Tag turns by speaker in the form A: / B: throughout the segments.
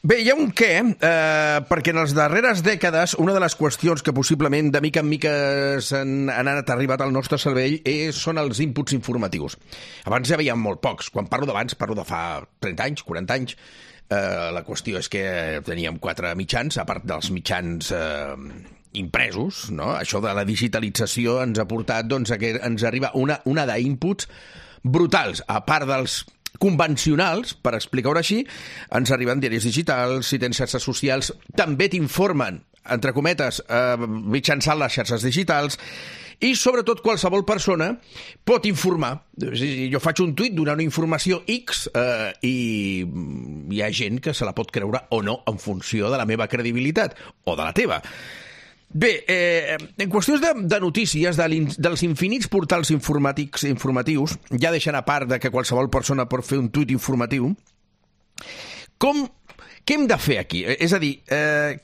A: Bé, hi ha un què, perquè en les darreres dècades una de les qüestions que possiblement de mica en mica han anat arribat al nostre cervell són els inputs informatius. Abans ja veiem molt pocs. Quan parlo d'abans, parlo de fa 30 anys, 40 anys. La qüestió és que teníem 4 mitjans, a part dels mitjans impresos, no? Això de la digitalització ens ha portat doncs, a que ens arriba una d'inputs brutals, a part dels convencionals, per explicar-ho així, ens arriben diaris digitals, si tens xarxes socials, també t'informen, entre cometes, mitjançant les xarxes digitals, i sobretot qualsevol persona pot informar. Jo faig un tuit donant una informació X i hi ha gent que se la pot creure o no en funció de la meva credibilitat o de la teva. Bé, en qüestions de notícies, dels infinits portals informatius, ja deixant a part de que qualsevol persona pot fer un tuit informatiu, què hem de fer aquí? És a dir,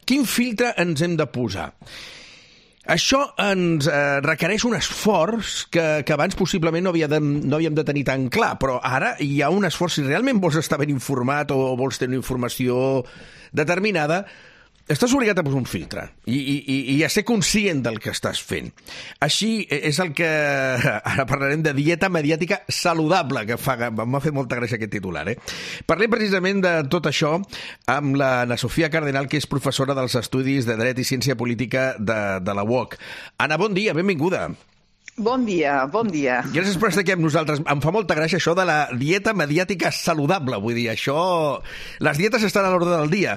A: quin filtre ens hem de posar? Això ens requereix un esforç que abans possiblement no havíem de tenir tan clar, però ara hi ha un esforç. Si realment vols estar ben informat o vols tenir informació determinada, estàs obligat a posar un filtre i a ser conscient del que estàs fent. Així és el que... Ara parlarem de dieta mediàtica saludable, que m'ha fet molta gràcia aquest titular. Parlem precisament de tot això amb l'Anna Sofia Cardenal, que és professora dels Estudis de Dret i Ciència Política de la UOC. Anna, bon dia, benvinguda.
B: Bon dia, bon dia.
A: Gràcies per estar aquí amb nosaltres. Em fa molta gràcia això de la dieta mediàtica saludable. Vull dir, això... Les dietes estan a l'ordre del dia.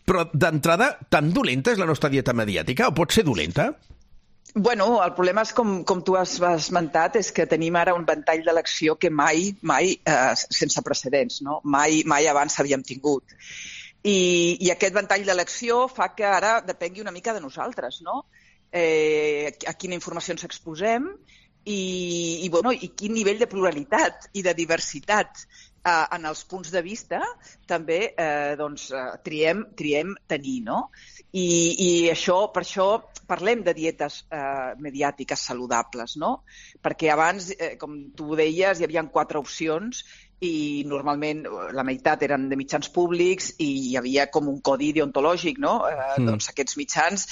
A: Però, d'entrada, tan dolenta és la nostra dieta mediàtica? O pot ser dolenta?
B: Bueno, el problema és, com tu has esmentat, és que tenim ara un ventall d'elecció que mai, sense precedents, no? Mai abans havíem tingut. I aquest ventall d'elecció fa que ara depengui una mica de nosaltres, no? A quina informació ens exposem i quin nivell de pluralitat i de diversitat en els punts de vista també triem tenir, no? I per això parlem de dietes mediàtiques saludables, no? Perquè abans, com tu deies, hi havia 4 opcions i normalment la meitat eren de mitjans públics i hi havia com un codi deontològic, no? Doncs aquests mitjans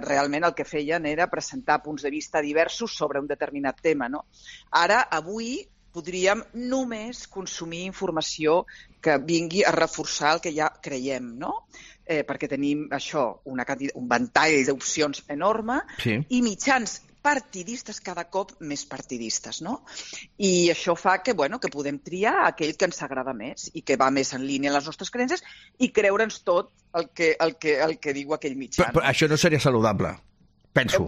B: realment el que feien era presentar punts de vista diversos sobre un determinat tema, no? Ara, avui, podríem només consumir informació que vingui a reforçar el que ja creiem, no? Perquè tenim això, un ventall d'opcions enorme i mitjans partidistes cada cop més partidistes, no? I això fa que podem triar aquell que ens agrada més i que va més en línia amb les nostres creences i creure'ns tot el que diu aquell mitjà.
A: Però això no seria saludable, penso.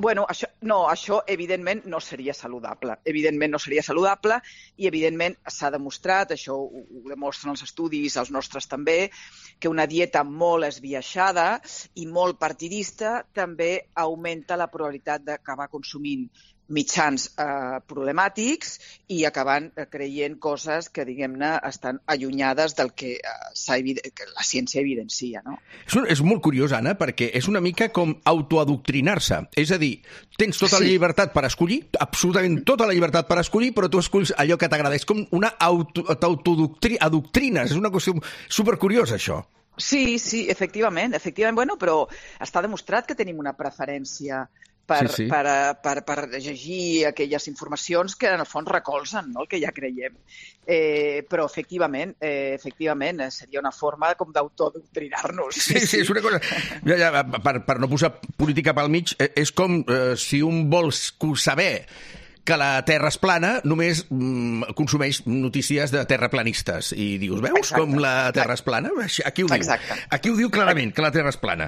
B: Això evidentment no seria saludable. Evidentment no seria saludable i evidentment s'ha demostrat, això ho demostren els estudis, els nostres també, que una dieta molt esbiaixada i molt partidista també augmenta la probabilitat d'acabar consumint mitjans problemàtics i acabant creient coses que, diguem-ne, estan allunyades del que la ciència evidencia, no?
A: És molt curiós, Anna, perquè és una mica com autoadoctrinar-se. És a dir, tens tota la llibertat per escollir, absolutament tota la llibertat per escollir, però tu escolls allò que t'agrada. És com una autoadoctrines. És una qüestió supercuriosa, això.
B: Sí, efectivament. Bueno, però està demostrat que tenim una preferència per llegir aquelles informacions que en el fons recolzen, no?, el que ja creiem. Però efectivament seria una forma com d'autoadoctrinar-nos.
A: Sí, és una cosa... Per no posar política pel mig, és com si un vol saber que la Terra és plana, només consumeix notícies de terraplanistes. I dius, veus com la Terra és plana? Aquí ho diu. Aquí ho diu clarament, que la Terra és plana.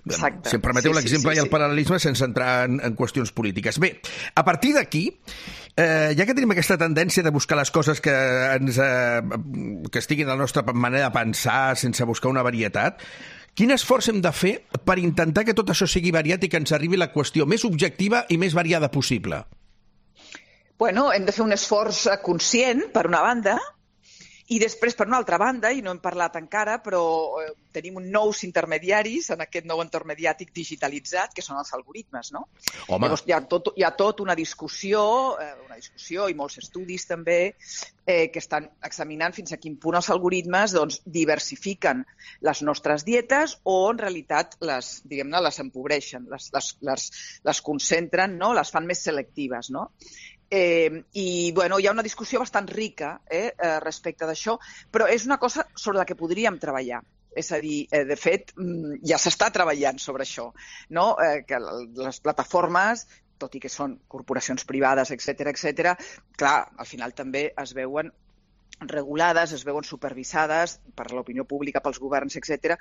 A: Si em permeteu l'exemple i el paral·lelisme sense entrar en qüestions polítiques. Bé, a partir d'aquí, ja que tenim aquesta tendència de buscar les coses que estiguin a la nostra manera de pensar sense buscar una varietat, quin esforç hem de fer per intentar que tot això sigui variat i que ens arribi la qüestió més objectiva i més variada possible?
B: Bueno, hem de fer un esforç conscient, per una banda, I després, per una altra banda, i no hem parlat encara, però tenim nous intermediaris en aquest nou entorn mediàtic digitalitzat, que són els algoritmes, no?
A: Home.
B: Llavors, hi ha tot una discussió i molts estudis també, que estan examinant fins a quin punt els algoritmes diversifiquen les nostres dietes o, en realitat, les empobreixen, les concentren, no? Les fan més selectives, no? I hi ha una discussió bastant rica respecte d'això, però és una cosa sobre la que podríem treballar. És a dir, de fet, ja s'està treballant sobre això, no? Que les plataformes, tot i que són corporacions privades, etc., clar, al final també es veuen regulades, es veuen supervisades per l'opinió pública, pels governs, etc.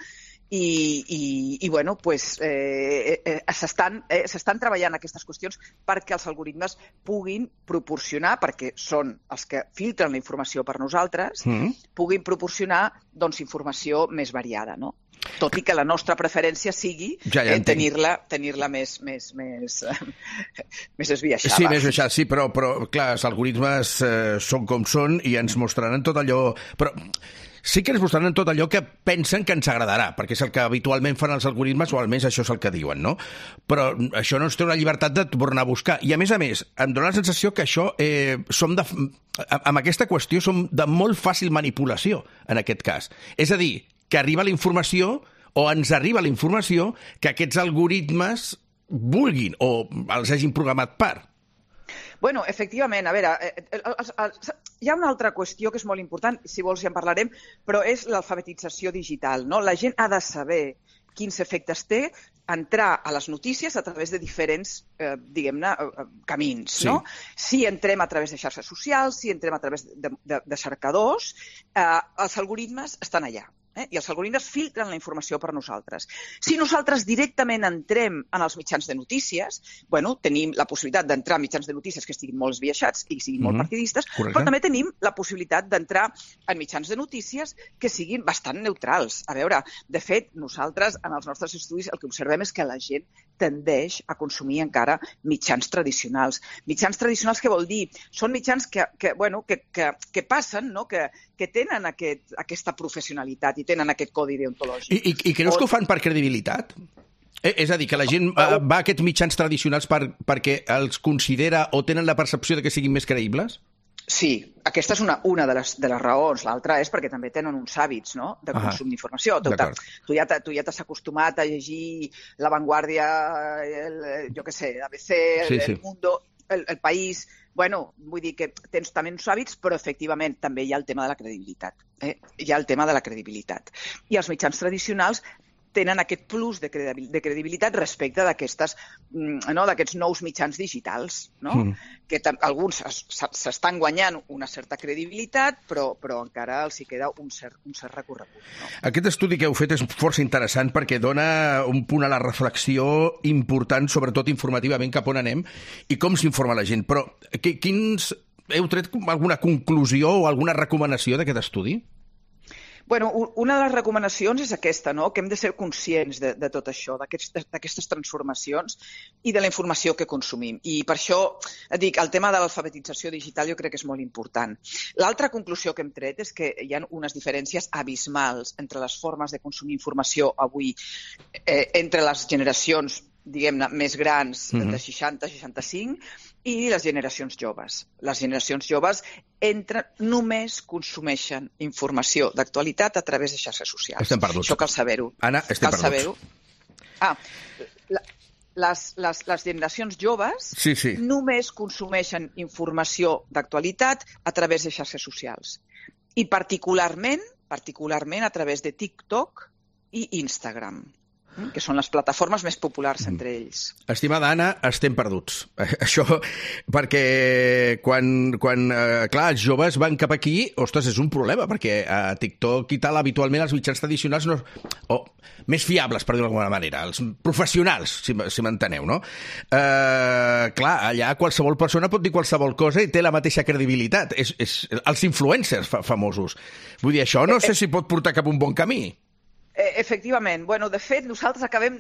B: S'estan treballant aquestes qüestions perquè els algoritmes puguin proporcionar, perquè són els que filtren la informació per nosaltres, puguin proporcionar informació més variada, no? Tot i que la nostra preferència sigui tenir-la més esbiaixada.
A: Sí, més esbiaixada, sí, però clar, els algoritmes són com són i ens mostraran tot allò... Però sí que ens mostraran tot allò que pensen que ens agradarà, perquè és el que habitualment fan els algoritmes, o almenys això és el que diuen, no? Però això no ens té una llibertat de tornar a buscar. I a més, em dóna la sensació que això amb aquesta qüestió som de molt fàcil manipulació, en aquest cas. És a dir, que arriba la informació, o ens arriba la informació, que aquests algoritmes vulguin o els hagin programat per.
B: Bueno, efectivament, a veure, hi ha una altra qüestió que és molt important, si vols ja en parlarem, però és l'alfabetització digital, no? La gent ha de saber quins efectes té entrar a les notícies a través de diferents, camins, no? Si entrem a través de xarxes socials, si entrem a través de cercadors, els algoritmes estan allà. I els algoritmes filtren la informació per nosaltres. Si nosaltres directament entrem en els mitjans de notícies, tenim la possibilitat d'entrar a mitjans de notícies que estiguin molt esbiaixats i siguin molt partidistes, però també tenim la possibilitat d'entrar en mitjans de notícies que siguin bastant neutrals. A veure, de fet, nosaltres, en els nostres estudis, el que observem és que la gent tendeix a consumir encara mitjans tradicionals. Mitjans tradicionals, què vol dir? Són mitjans que passen, no? Que tenen aquesta professionalitat i tenen aquest codi deontològic.
A: I creus que ho fan per credibilitat? És a dir, que la gent va a aquests mitjans tradicionals perquè els considera o tenen la percepció de que siguin més creïbles?
B: Sí, aquesta és una de les raons. L'altra és perquè també tenen uns hàbits, no?, de consum d'informació. Tu ja t'has acostumat a llegir La Vanguardia, jo què sé, ABC, El Mundo, El País... vull dir que tens també uns hàbits, però efectivament també hi ha el tema de la credibilitat. Hi ha el tema de la credibilitat. I els mitjans tradicionals tenen aquest plus de credibilitat respecte d'aquests nous mitjans digitals, no? Que alguns s'estan guanyant una certa credibilitat, però encara els hi queda un cert recorregut. No?
A: Aquest estudi que heu fet és força interessant perquè dona un punt a la reflexió important, sobretot informativament, cap on anem i com s'informa la gent. Però heu tret alguna conclusió o alguna recomanació d'aquest estudi?
B: Una de les recomanacions és aquesta, no? Que hem de ser conscients de tot això, d'aquestes transformacions i de la informació que consumim. I per això dic, el tema de l'alfabetització digital jo crec que és molt important. L'altra conclusió que hem tret és que hi ha unes diferències abismals entre les formes de consumir informació avui entre les generacions, diguem-ne, més grans, de 60-65, i les generacions joves. Les generacions joves només consumeixen informació d'actualitat a través de xarxes socials.
A: Estem perduts.
B: Això cal saber-ho.
A: Anna, estem perduts.
B: Les generacions joves només consumeixen informació d'actualitat a través de xarxes socials. I particularment a través de TikTok i Instagram, que són les plataformes més populars entre ells.
A: Estimada Anna, estem perduts. Això, perquè quan els joves van cap aquí, ostres, és un problema, perquè a TikTok i tal, habitualment els mitjans tradicionals més fiables, per dir-ho d'alguna manera, els professionals, si m'enteneu, no? Allà qualsevol persona pot dir qualsevol cosa i té la mateixa credibilitat. Els influencers famosos. Vull dir, això no sé si pot portar cap un bon camí.
B: Efectivament. De fet, nosaltres acabem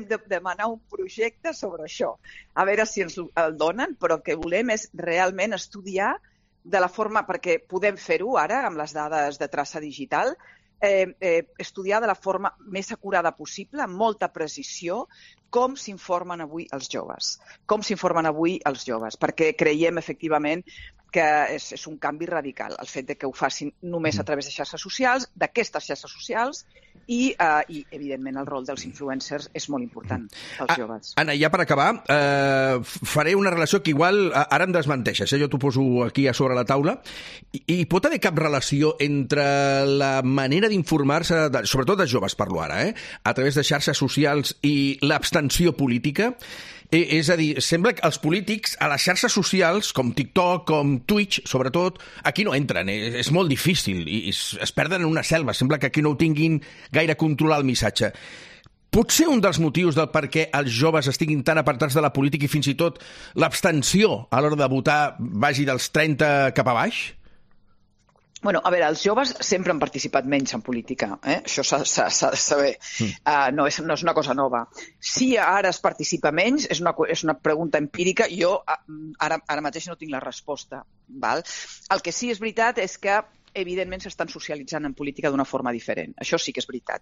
B: de demanar un projecte sobre això. A veure si ens el donen, però el que volem és realment estudiar de la forma, perquè podem fer-ho ara amb les dades de traça digital, estudiar de la forma més acurada possible, amb molta precisió, com s'informen avui els joves. Perquè creiem, efectivament, que és un canvi radical, el fet de que ho facin només a través de xarxes socials, d'aquestes xarxes socials, i evidentment, el rol dels influencers és molt important pels joves.
A: Anna, ja per acabar, faré una relació que igual ara em desmenteixes, jo t'ho poso aquí a sobre la taula, i pot haver cap relació entre la manera d'informar-se, sobretot dels joves, parlo ara, a través de xarxes socials i l'abstenció política? És a dir, sembla que els polítics a les xarxes socials, com TikTok, com Twitch, sobretot, aquí no entren. És molt difícil i es perden en una selva. Sembla que aquí no ho tinguin gaire controlar el missatge. Pot ser un dels motius del per què els joves estiguin tan apartats de la política i fins i tot l'abstenció a l'hora de votar vagi dels 30 cap a baix?
B: Bueno, a veure, els joves sempre han participat menys en política, això s'ha de saber, no és una cosa nova. Si ara es participa menys, és una pregunta empírica, jo ara mateix no tinc la resposta. Val? El que sí és veritat és que evidentment s'estan socialitzant en política d'una forma diferent. Això sí que és veritat.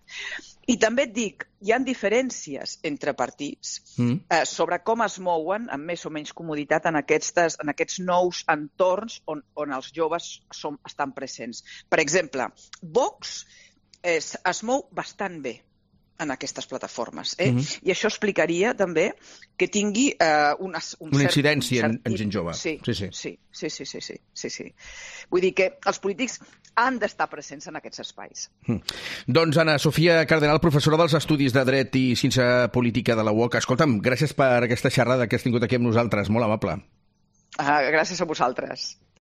B: I també et dic, hi ha diferències entre partits sobre com es mouen amb més o menys comoditat en aquests nous entorns on els joves estan presents. Per exemple, Vox es mou bastant bé en aquestes plataformes. I això explicaria també que tingui una
A: incidència en gent jove.
B: Sí. Vull dir que els polítics han d'estar presents en aquests espais.
A: Doncs Anna Sofia Cardenal, professora dels Estudis de Dret i Ciència Política de la UOC. Escolta'm, gràcies per aquesta xerrada que has tingut aquí amb nosaltres. Molt amable.
B: Gràcies a vosaltres.